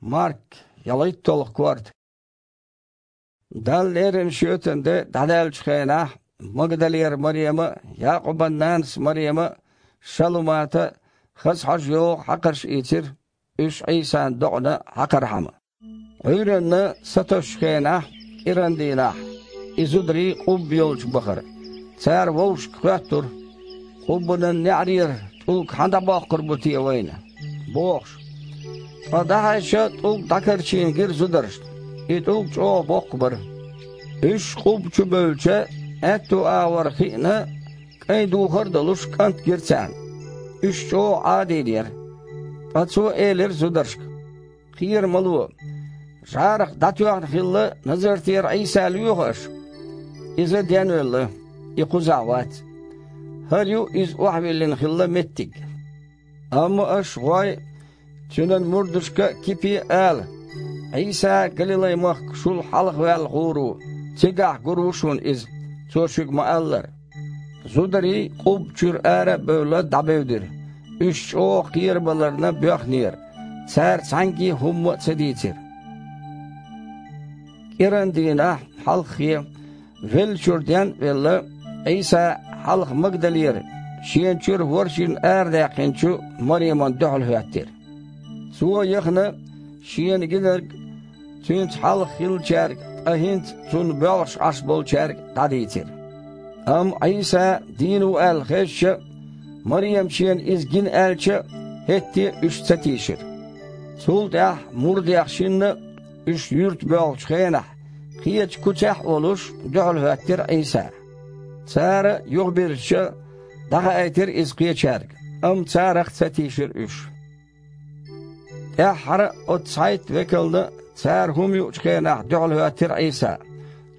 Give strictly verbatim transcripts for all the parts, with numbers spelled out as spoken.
Марк, ялхитталгӀа корта. Далла леррина шоьтан де дӀадаьллачу хенахь, Магдалера Марема а, Якъубан нанас Марема а, Шалумата а хаза хьожа йогӀу хьакхарш ийцира, уьш Ӏийсан докъана хьакхархьама. Ӏуьйранна сатосучу хенахь, кӀиран дийнахь, и зударий къубба йолчу бахара. Цара вовшашка хоьттура: «Къуббанан неӀарера тӀулг хьан дӀабоккхур бу те вайна?» – бохуш. Ткъа дӀахьаьжча, тӀулг дӀакарчийна гира зударшна. И тӀулг чӀогӀа боккха бара. Уьш къубба чу бевлча, аьтту агӀор хиъна, кӀайн духар а долуш, кӀант гира царна. Уьш чӀогӀа Ӏадийна яра. Ткъа цо элира зударшка: «Кхера ма ло. ЖӀарах дӀатоьхна хилла Назартера Ӏийса лоьху аша. Иза денвелла, и кхузахь вац. ХӀара ю иза охьавиллина хилла меттиг». Амма аша гӀой, цуьнан мурдашка а Кипе а ала: «Ӏийса Галилай-махка шул хьалха ваьлла гӀур ву, цигахь гур ву шуна иза, цо шуьга ма-аллара». Зударий къубба чуьра ара а бевлла, дӀабевдира. Уьш чӀогӀа кхерабаларна боьхнера, цара цхьаьнгге а хӀумма а ца дийцира. КӀиран дийнахь, хьалххе, веллачуьра ден а велла, Ӏийса хьалха Магдалера, шена чуьра ворхӀ жин арадаьккхинчу Маремана дуьхьал хӀоьттира. Цо яхана, шена гинарг цуьнца хьалха хиллачаьрга, ткъа хӀинца цунна боьлхуш Ӏаш болчаьрга дӀадийцира. Амма Ӏийса дийна ву аьлла хезча, Марема шена иза гина аьлча, хӀетте а уьш ца тийшира. Цул тӀаьхьа мурдех шинна а, уьш юьрта боьлхучу хенахь, кхечу куьцехь а волуш, дуьхьал хӀоьттира Ӏийса. Цара, юхабирзича, дӀахаийтира иза кхечаьрга, амма царах ца тийшира уьш. ТӀаьххьара оцу цхьайтта векална, цара хӀума юучу хенахь, дуьхьал хӀоьттира Ӏийса.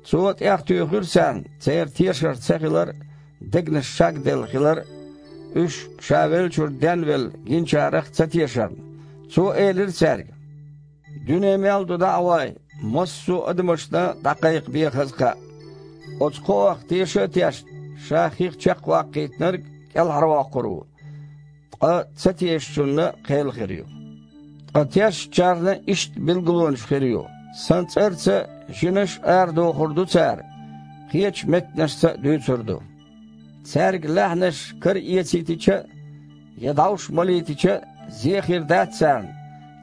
Цо тӀех туьйхира царна, церан тешар ца хилар а, дегнаш шагделла хилар а, уьш, ша веллачуьра денвелла гинчарах ца тешарна. Цо элира цаьрга: «Дуьне мел ду дӀа а гӀой, массо а адамашна дӀакхайкхабе хаза кхаъ. Оцу кхоах теша а тешна, ша хих чекхваккхийтинарг кӀелхьарвоккхур ву, ткъа ца тешачунна кхел хир ю. Ткъа тешначарна иштта билгалонаш хир ю: сан цӀарца жинаш а арадохур ду цара, кхечу меттанашца а дуьйцур ду. Цаьрга лаьхьанаш караэцийтича а, я дӀовш малийтича а, зе хир дац царна,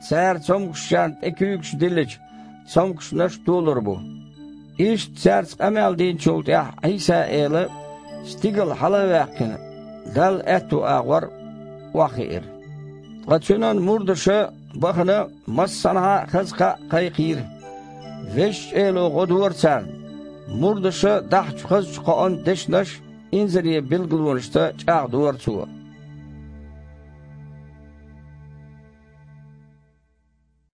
цара цомгушчарна тӀе куьйгаш диллича, цомгушнаш толур бу». Иштта цаьрца къамел динчул тӀаьхьа Ӏийса-Эла, стигала хьала а ваьккхина, Далла аьтту агӀор охьахиира. Ткъа Цуьнан мурдаша, бахана, массанхьа а хаза кхаъ кхайкхийра. Везачу Эло гӀо дора царна. Мурдаша дахьачу хазачу кхоан дешнаш инзаре билгалонашца чӀагӀдора Цо.